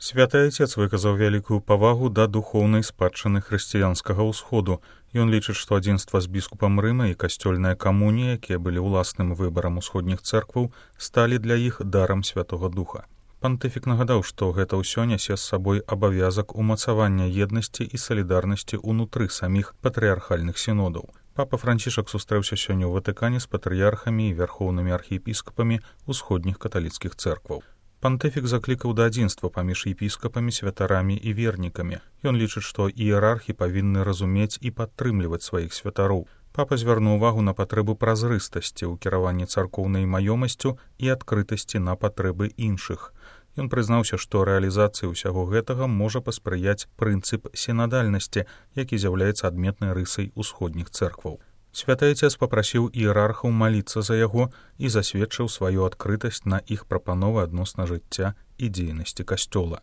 Святы Айцец выказаў вялікую павагу да духоўнай спадчыны хрысціянскага ўсходу. Ён лічыць, што адзінства з біскупам Рыма і касцёльная камунія, якія былі ўласным выбарам усходніх цэркваў, сталі для іх дарам Святога Духа. Пантыфік нагадаў, што гэта ўсё нясе з сабой абавязак умацавання еднасці і салідарнасці ўнутры саміх патрыархальных сінодаў. Папа Францішак сустрэўся сёння ў Ватыкане з патрыярхамі і вярхоўнымі архіепіскапамі усходніх каталіцкіх цэркваў. Пантыфік заклікаў да адзінства паміж епіскапамі, святарамі і вернікамі. Ён лічыць, што іерархі павінны разумець і падтрымліваць сваіх святароў. Папа звярнуў увагу на патрэбу празрыстасці ў кіраванні царкоўнай маёмасцю і адкрытасці на патрэбы іншых. Ён прызнаўся, што рэалізацыі ўсяго гэтага можа паспрыяць прынцып сінадальнасці, які з'яўляецца адметнай рысай усходніх цэркваў. Святы Айцец папрасіў іерархаў маліцца за яго і засведчыў сваю адкрытасць на іх прапановы адносна жыцця і дзейнасці касцёла.